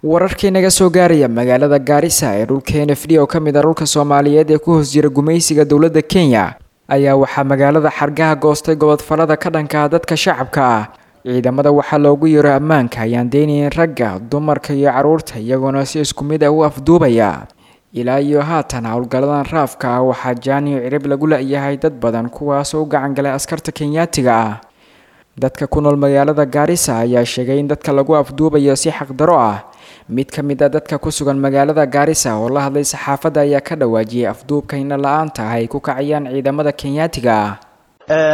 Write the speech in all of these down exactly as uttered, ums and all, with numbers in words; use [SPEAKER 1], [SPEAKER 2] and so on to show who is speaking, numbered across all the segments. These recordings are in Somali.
[SPEAKER 1] Wararkii naga soo gaaraya magaalada Gaarisa ee dhulka N F D oo ka mid ah dhulka Soomaaliyeed ee ku hoos jira gumaysiga dowladda Kenya ayaa waxaa magaalada xargaha goostay gobodfalada ka dhanka ah dadka shacabka ah. Ciidamada waxaa loogu yeero ammaanka ayaan deynayn ragga, dumarka iyo carruurta, iyagoona si isku mid ah u afduubaya. Ilaa iyo haatan howlgalladan raafka ah waxaa jaaniyo cirib lagu la'yahay dad badan, kuwaasoo u gacan galay askarta Kenyaatiga ah. Dadka ku nool magaalada Gaarisa ayaa sheegay in dadka lagu afduubayo si xaqdarro ah. Mid ka mid ah dadka ku sugan magaalada Gaarisa oo la hadlay saxaafadda ayaa ka dhawaajiyay afduubka indho la'aanta ah ay ku kacayaan ciidamada Kenyaatiga ah.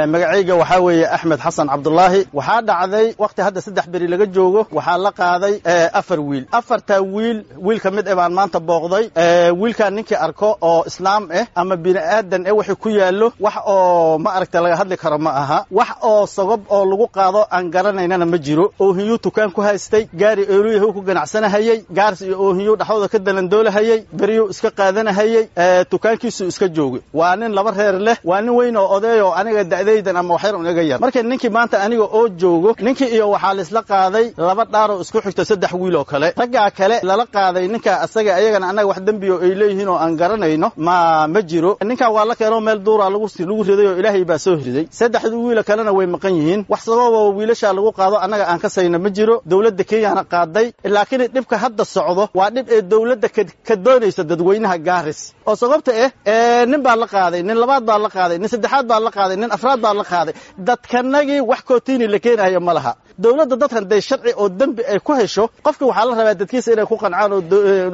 [SPEAKER 2] Magacayga waxaa weeye Axmed Xasan Cabdulaahi. Waxaa dhacday wakhti hadda saddex beri laga joogo, waxaa la qaaday afar wiil. Afartaa wiil wiil ka mid eh baan maanta booqday. Wiilkaan ninkii arko oo islaam ah ama bini'aadan eh wixii ku yaallo wax oo ma aragta laga hadli karo ma aha. Wax oo sabab oo lagu qaado aan garanaynana ma jiro. Oohiyu tukaan ku haystay, gaari eeluyahu ku ganacsanahayey, gaaris iyo oohiyu dhexdooda ka dalandoolahayey, beriyuu iska qaadanahayey, tukaankiisuu iska joogay. Waa nin laba reer leh, waa nin weyn oo oday oo aniga da'daydan ama waxyar un iga yar. Marka ninkii maanta aniga oo joogo, ninkii iyo waxaa laisla qaaday laba dhaaroo isku xigto saddex wiil oo kale. Raggaa kale lala qaaday ninka asaga, ayagana annaga wax dembiyo ay leeyihiin oo aan garanayno ma ma jiro. Ninkan waa la keenoo meel duuraa lagu lagu riday oo Ilaahay baa soo riday. Saddexdii wiil kalena way maqan yihiin. Wax sabab oo wiilasha lagu qaado annaga aan ka sayna ma jiro. Dowladda Kenyana qaaday, laakiin dhibka hadda socdo waa dhib ee dowladda ka doonaysa dadweynaha Gaaris. Oo sababta eh nin baa la qaaday, nin labaad baa la qaaday, nin saddexaad baa la qaaday, nin afraad baa la qaaday. Dadkanagii wax kootiini la keenayo ma laha. Dowladda dadkan day sharci oo dembi ay ku hesho, qofka waxaa la rabaa dadkiisa inay ku qancaan oo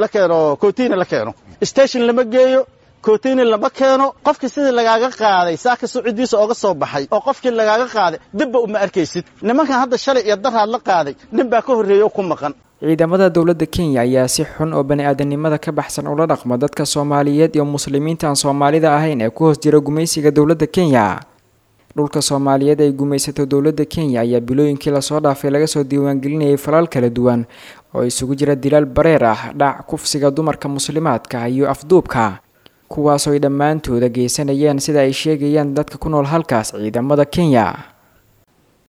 [SPEAKER 2] la keeno kootiini la keeno. Station lama geeyo, kootiini lama keeno. Qofkii sidii lagaaga qaaday saaka sucudiisa ooga soo baxay oo qofkii lagaaga qaaday dibba uma arkaysid. Nimankan hadda shalay iyo daraad la qaaday nin baa ka horreeya oo ku maqan.
[SPEAKER 1] Ciidamada dowladda Kenya ayaa si xun oo bani'aadanimada ka baxsan ula dhaqma dadka Soomaaliyeed iyo muslimiinta aan Soomaalida ahayn ee ku hoos jira gumaysiga dowladda Kenya. Dhulka Soomaaliyeed ay gumaysato dowladda Kenya ayaa bilooyinkii lasoo dhaafay laga soo diiwaangelinayay falal kala duwan oo isugu jira dilaal bareer ah, dhac, kufsiga dumarka muslimaadka iyo afduubka, kuwaasoo ay dhammaantooda geysanayeen sida ay sheegayaan dadka ku nool halkaas ciidamada Kenya.